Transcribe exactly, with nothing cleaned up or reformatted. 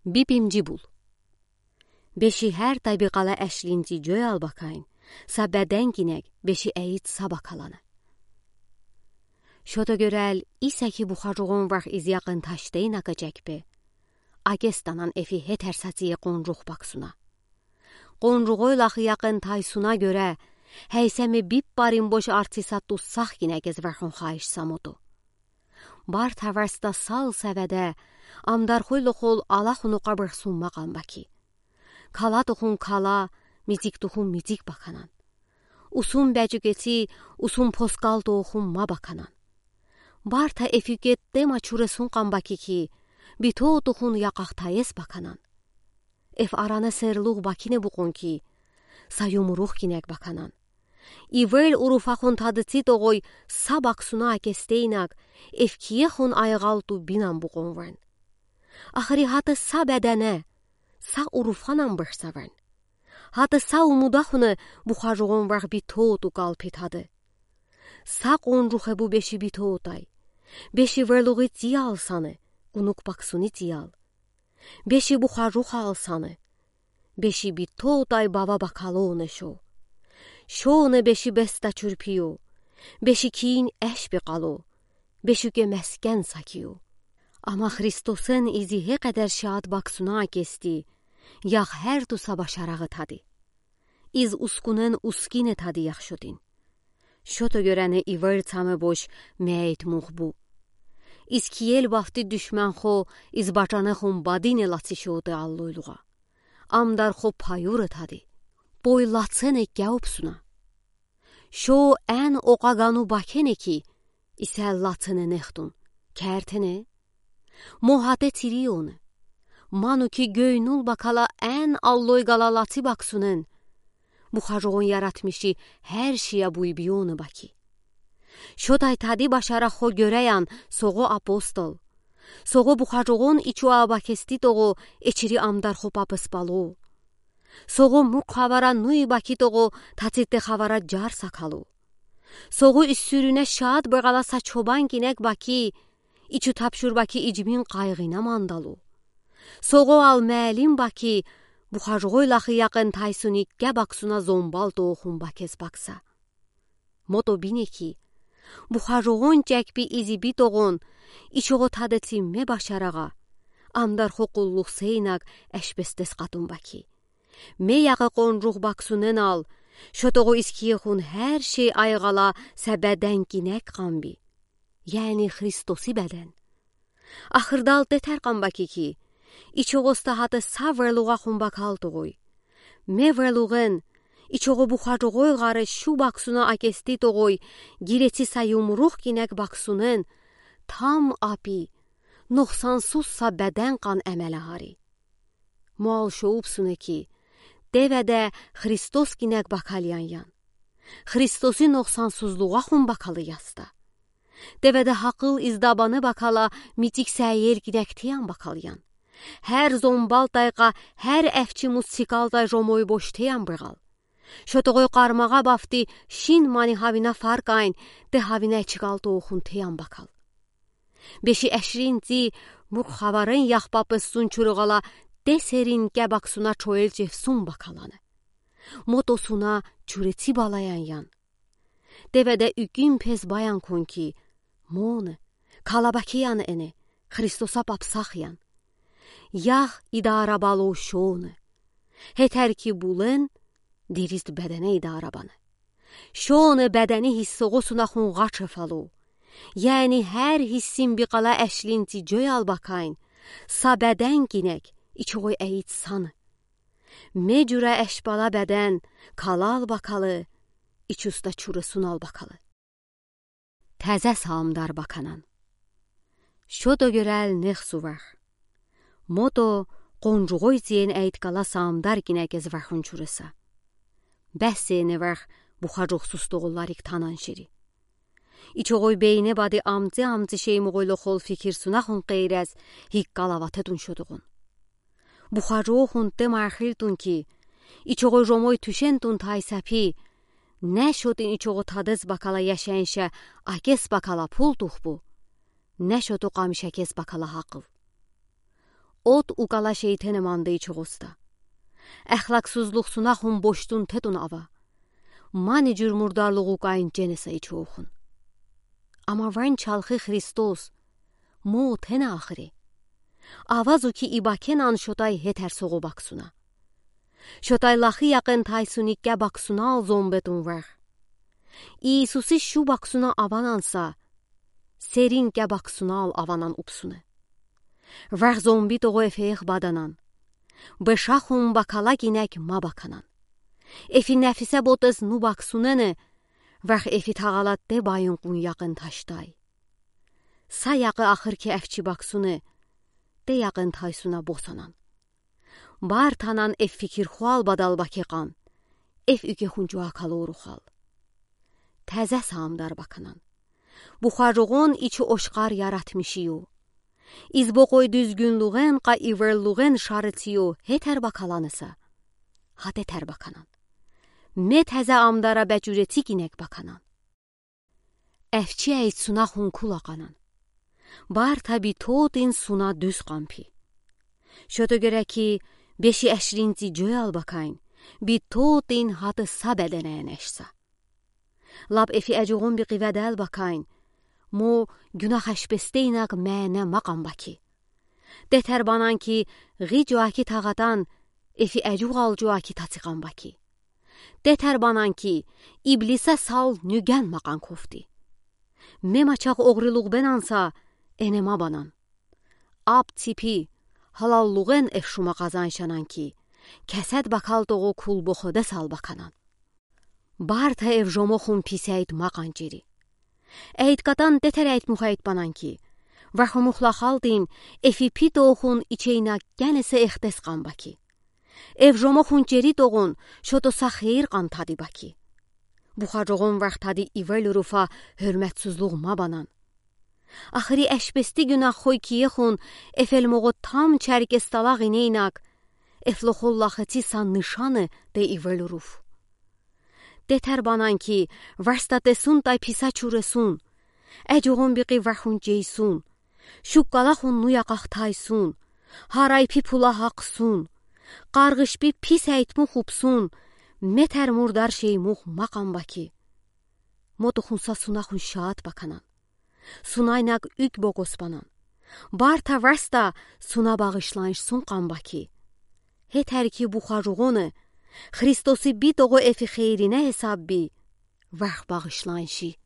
Бипимжи бул. Беши гертайда биқала эшлинти жоял бакайн, са беден гинек беши эйит са бакаланы. Шото гёрел, исеки бухажугъун варх из якъын ташдейна кечекпе, акесданан эфи гетер сатие къонжух баксуна. Къонжугъойлахи якъын тайсуна гёре, гейсеме биппарин бош артиса туссах гинек эз вархун хайиш са мото. Бар таварста сал севеде, амдархойлохол алахуну къабырсунма къан баки. Кала тухун кала, мицик тухун мицик баканан. Усун бежугети, усун поскал тухун ма баканан. Барта эфюгет дема чуресун къан баки ки, бито тухун якъахтаес баканан. Эф арана серлух бакине букъун ки, са юмрух гинек баканан. Ивел уруфахун тадыци тогъой са баксуна акестейнак, эф киехун айгъалту бинан букъун варн. Ахри гьата са бедене, са уруфанан бырса варн. Гьата са умудахуна бухажугъун варх битоту калпи тады. Са къонжухе бу беши битотай. Беши верлугъи циял саны, гунук баксуни циял. Беши бухажух алсаны. Беши битотай бава бакалоне шо. Шоне беши беста чурпио. Беши киин эшби къало. Бешуге мескен сакио. Ама Христосен изи гекъедер шад баксуна акести, ях герту са башарагъы тады. Из ускунен ускине тады ях шотин. Шото гёрени ивер цаме бош мейт мух бу. Из киел бафти душман хо, из бачане хун бадине лаци шоты аллойлугъа. Амдар хо паюры тады. Пой лацене кяупсуна. Шо эн окъагану бакене ки, исел лацене нехтун, кертене. Мо гьате тирионы. Ману ки гёйнул бакала эн аллой гала лаци баксунен. Бухажугъун яратмиши гер шия буйбионы баки. Шотай тади башара хо гёреян согъо апостол. Согъо бухажугъун ичуа бакести тогъо эчири амдар хо папыс бало. Согъо мук хавара нуи баки тогъо тацитте хавара жар сакало. Согъо иссюрюне шад бегъала са чобан гинек баки, ичу тапшур баки ижмин къайгъина мандало. Согъо ал мелим баки, бухажугъойлахи якъын тайсуни ке баксуна зомбал тоохун бакес бакса. Мото бине ки, бухажугъун чекпи изи битогъун, ичугъо тадеци ме башарагъа, амдар хо къуллух сейнак эшбестес къатун баки. Ме яхы къонжух баксунен ал, шотогъо искиехун гер шей айгъала са беден гинек къанби. Яни Христоси беден. Ахырдал тетер къан баки ки, ичугъоста гьата са верлугъахун бакал тогъой. Ме верлугъен, ичугъо бухажугъой гъаре шу баксуна акести тогъой, гиреци са юмрух гинек баксунен, там апи, нокъсансуз са беден къан эмеле гьари. Муал шоупсуна ки, деведе Христос гинек бакалиян ян. Христоси нокъсансузлугъахун бакалы яста. Деведе гьакъыл издабаны бакала мицик сеел гинек теян бакалиян. Гер зомбал тайкъа, гер эфчи мус цикалдай жомой бош теян бегъал. Шотогъой къармагъа бафти шин мани гьавина фаркайн, де гьавина эчигал тоохун теян бакал. Беши эшринци мук хаварен яхпапы сун чургъала, де серин ке баксуна чоел чефсун бакаланы. Мото суна чуреци балаян ян. Деведе уькин пес баян кун ки, моны, калабакиян эне, Христоса папсах ян. Ях идара бало шоны. Гьетер ки булен, деризт бедене идара баны. Шоны бедени гьиссогъо суна хун гъачеф ало. Яни гер гьиссин бикъала эшлинци жоял бакайн, са беден гинек, ичугъой эйит саны. Ме жура эшбала беден, калал бакалы, ичуста чуресунал бакалы. Тезе саамдар баканан. Шото гёрел нехсувар. Мото къонжугъой зиен эйткала саамдар гинек эз вархун чуреса. Бес зиене варх бухажугъсуз тогъулларик танан шири. Ичугъой бейне бади амци-амци шеймугъойлохол фикирсунахун къейрез гиккала ватетун шотогъун. Бухажугъун те мархилтун ки, ичугъой жомой тюшентун тайсапи, не шотин ичугъо тадез бакала яшенше акес бакала пул тухбу, не шоту къамишакес бакала гьакъыв. Од укала шейтене манды ичоғозда. Эхлаксузлух сунахун бошдун тетун ава. Мани жур мурдарлуғ укаин женеса ичоохун. Ама ван чалхы Христос, мо тене ахыри. Авазу ки, ибакенан шотай хетер соғо баксуна. Шотай лахы яқын тайсуни кебаксунал зомбетун варх. Иисуси шу баксуна авананса, серин кебаксунал аванан упсуна. Варх зомби тоғо эфеех баданан. Бешахун бакала гинек ма баканан. Эфи нефисе ботез ну баксунене, варх эфи тағалад де байын къун яқын таштай. Са яқы ахыр ки эфчи баксуне, де яқын тайсуна босанан. Бартанан эф фикир хуал бадал бакеқан, эф уьке хунчуа калорухал. Тезеса амдар баканан. Бухарогон ичи ошқар яратмиши ю. Избокой дуьзгюнлуғен ка иверлуғен шарици ю хетер бакаланыса. Хатетер баканан. Ме тезе амдара бечурети гинек баканан. Эфчи эйт сунахун кул акъанан. Барта би тоотин суна дуьз къампи. Шото гереки беши эшринци жоял бакайн, би тоотин хатыса беденен эшса. Лап эфи эжуғун би къиведел бакайн, мо гюнах эшпестейнак мене макъан баки. Детер банан ки, ги жуаки тағатан, эфи эжуғал жуаки тацикъан баки. Детер банан ки, иблиса сал нюген макъан кофти. Ме мачах оғрилуғ бенанса, эне ма банан. Ап ципи, халаллуғен эф шума къазаншанан ки, кесед бакал тоғо кул боходес ал баканан. Барта эв жомохун пис эйт макъан жери. Эйт катан детер эйт мух эйт банан ки, ваху мухла халдин эфи пи тоохун ичейна генесе эхдес къан баки. Эв жомохун жери тоғун шотоса хейир къан тади баки. Бухарогон вахтади ивел уруфа хёрметсузлуғ ма банан. Ахыри эшпести гюнах хой киехун эфел моғо там чарик эсталағ инейнак, эфлохоллахы ци сан нышаны де ивел уруф. Детер банан ки, варста тесун тай писа чуресун, эжуғун биқи вахун жейсун, шуккалахун нуя къахтайсун, харай пи пула хақсун, къарғыш пи пис эйт мух упсун, метер мурдар шей мух макъан баки. Мотухунса сунахун шаат баканан. Сунайнак уьк бокос банан. Барта варста суна бағышланш сун къан баки. Хетер ки бухарогоны, Христоси би тоғо эфи хейрине хесаб би, варх бағышланши